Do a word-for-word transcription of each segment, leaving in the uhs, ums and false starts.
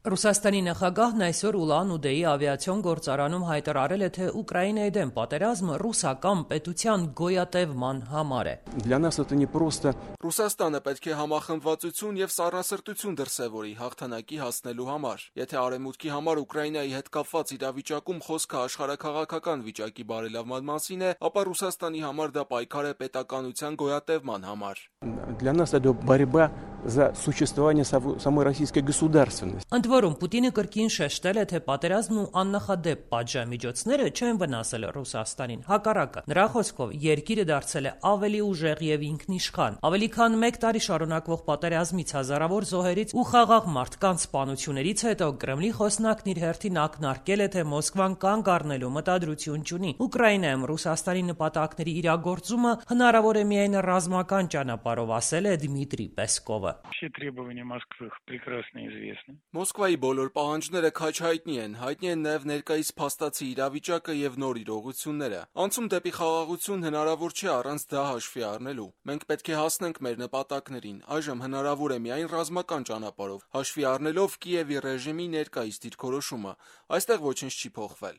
Ռուսաստանի նախագահն այսօր Ուլան-Ուդեի ավիացիոն գործարանում հայտարարել է, թե Ուկրաինայի դեմ պատերազմը ռուսական պետության գոյատևման համար է։ Ռուսաստանը պետք է համախմբվածություն եւ սառնասրտություն դրսեւորի հաղթանակի հասնելու համար։ Եթե արևմուտքի համար Ուկրաինայի հետ կապված իրավիճակում խոսքը աշխարհաքաղաքական վիճակի բարելավման մասին է, ապա Ռուսաստանի համար դա պայքար է պետականության գոյատևման համար։ Ընդ որում, Պուտինը կրկին շեշտել է, թե պատերազմն ու աննախադեպ պատժամիջոցները չեն վնասել Ռուսաստանին, հակառակը։ Նրա խոսքով, երկիրը դարձել է ավելի ուժեղ եւ ինքնիշխան։ Ավելի քան մեկ տարի շարունակվող պատերազմից, հազարավոր զոհերից ու խաղաղ մարդկանց սպանություններից հետո Կրեմլի խոսնակն իր հերթին ակնարկել է, թե Մոսկվան կանգ առնելու մտադրություն չունի։ Ուկրաինայում Ռուսաստանի նպատակների իրագործումը հնարավոր է միայն ռազմական ճանապարհով, ասել է Դմիտրի Պեսկովը։ Մոսկվայի բոլոր պահանջները քաջ հայտնի են, հայտնի են նաև ներկայիս փաստացի իրավիճակը եւ նոր իրողությունները։ Անցում դեպի խաղաղություն հնարավոր չէ առանց դա հաշվի առնելու։ Մենք պետք է հասնենք մեր նպատակներին։ Այժմ հնարավոր է միայն ռազմական ճանապարհով, հաշվի առնելով Կիևի ռեժիմի ներկայիս դիրքորոշումը։ Այստեղ ոչինչ չի փոխվել։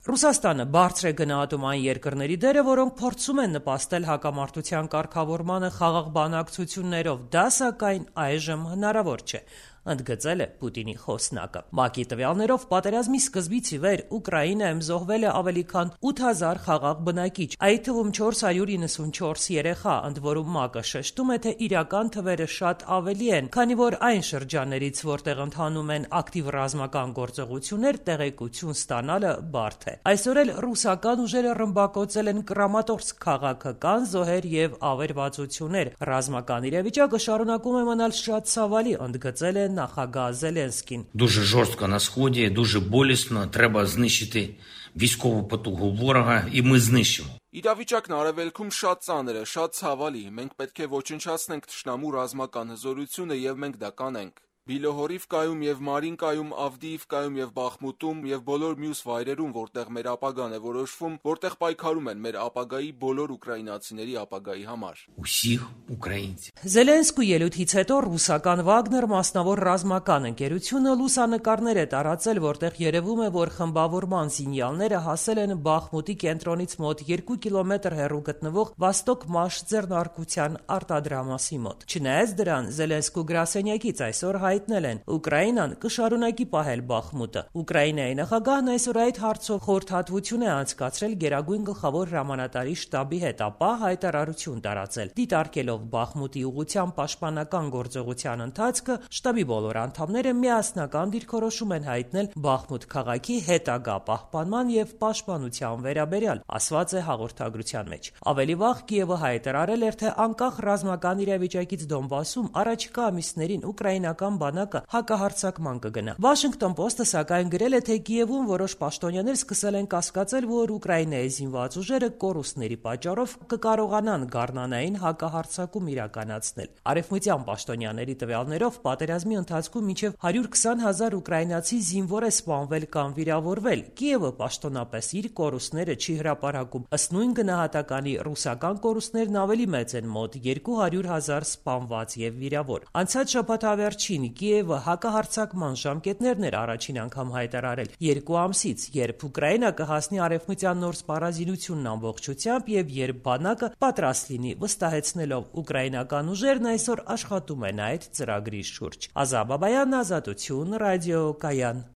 Ռուսաստանը բարձր է գնահատում այն երկրների դերը, որոնք փորձում են նպաստել հակամարտության կարգավորմանը խաղաղ բանակցություններով, դա սակայն այժմ հնարավոր չէ, ընդգծել է Պուտինի խոսնակը։ ՄԱԿ-ի տվյալներով պատերազմի սկզբից ի վեր Ուկրաինայում զոհվել է ավելի քան ութ հազար խաղաղ բնակիչ, այդ թվում չորս հարյուր իննսունչորս երեխա, ընդ որում ՄԱԿ-ը շեշտում է, թե իրական թվերը շատ ավելի են, քանի որ այն շրջաններից, որտեղ ընթանում են ակտիվ ռազմական գործողություններ, տեղեկություն ստանալը բարդ է։ Այսօր էլ ռուսական ուժերը ռմբակոծել են Կրամատորսկ քաղաքը, կան զոհեր եւ ավերվածություններ։ Ռազմական իրավիճակը շարունակում է մնալ շատ ցավալի, ընդգծել է նախագահ Զելենսկին։ Дуже жорстко на сході, дуже болісно, треба знищити військову потугу ворога, і ми знищимо. Իրավիճակն արևելքում շատ ծանր է, շատ ցավալի։ Մենք պետք է ոչնչացնենք թշնամու ռազմական հզորությունը եւ մենք դա կանենք։ Բիլոհորիվկայում եւ Մարինկայում, Ավդիիվկայում եւ Բախմուտում եւ բոլոր մյուս վայրերում, որտեղ մեր ապագան է որոշվում, որտեղ պայքարում են մեր ապագայի բոլոր ուկրաինացիների ապագայի համար։ Усіх українців։ Զելենսկու ելույթից հետո ռուսական Վագներ մասնավոր ռազմական ընկերությունը լուսանկարներ է տարածել, որտեղ երևում է, որ խմբավորման զինյալները հասել են Բախմուտի կենտրոնից մոտ երկու կիլոմետր հեռու գտնվող Վաստոկ-Մաշ ձեռնարկության արտադրամասի մոտ։ Չնայած դրան, Զելենսկու գրասենյակից այսօր հայտնել են, Ուկրաինան կշարունակի պահել Բախմուտը։ Ուկրաինայի նախագահն այսօր այդ հարցով խորհրդատվություն է անցկացրել Գերագույն գլխավոր հրամանատարի շտաբի հետ, ապա հայտարարություն տարածել։ Դիտարկելով Բախմուտի ուղղությամբ պաշտպանական գործողության ընթացքը, շտաբի բոլոր անդամները միասնական դիրքորոշում են հայտնել Բախմուտ քաղաքի հետագա պահպանման եւ պաշտպանության վերաբերյալ, ասված է հաղորդագրության մեջ։ Ավելի վաղ Կիևը հայտարարել էր, թե անկախ ռազմական իրավիճակից Դոնբասում առաջիկա ամիսներին ուկրաինական բանակը հակահարձակման կգնա։ Washington Post-ը սակայն գրել է, թե Կիևում որոշ պաշտոնյաներ սկսել են կասկածել, որ Ուկրաինայի զինված ուժերը կորուստների պատճառով կկարողանան գառնանային հակահարձակում իրականացնել։ Արևմտյան պաշտոնյաների տվյալներով պատերազմի ընթացքում մինչև հարյուր քսան հազար ուկրաինացի զինվոր է սպանվել կամ վիրավորվել։ Կիևը պաշտոնապես իր կորուստները չի հրապարակում։ Ըստ նույն գնահատականի ռուսական կորուստներն ավելի մեծ են՝ մոտ երկու հարյուր հազար սպանված եւ վիրավոր։ Անցած շաբաթավերջին Կիևը հակահարձակման ժամկետներն էր առաջին անգամ հայտարարել երկու ամսից, երբ Ուկրաինա կհասնի արևմտյան նոր սպառազինությունն ամբողջությամբ եւ երբ բանակը պատրաստ լինի, վստահեցնելով ուկրաինական ուժերն այսօր աշխատում են այդ ծրագրի շուրջ։ Ազա Բաբայան, Ազատություն, ռադիո Կայան։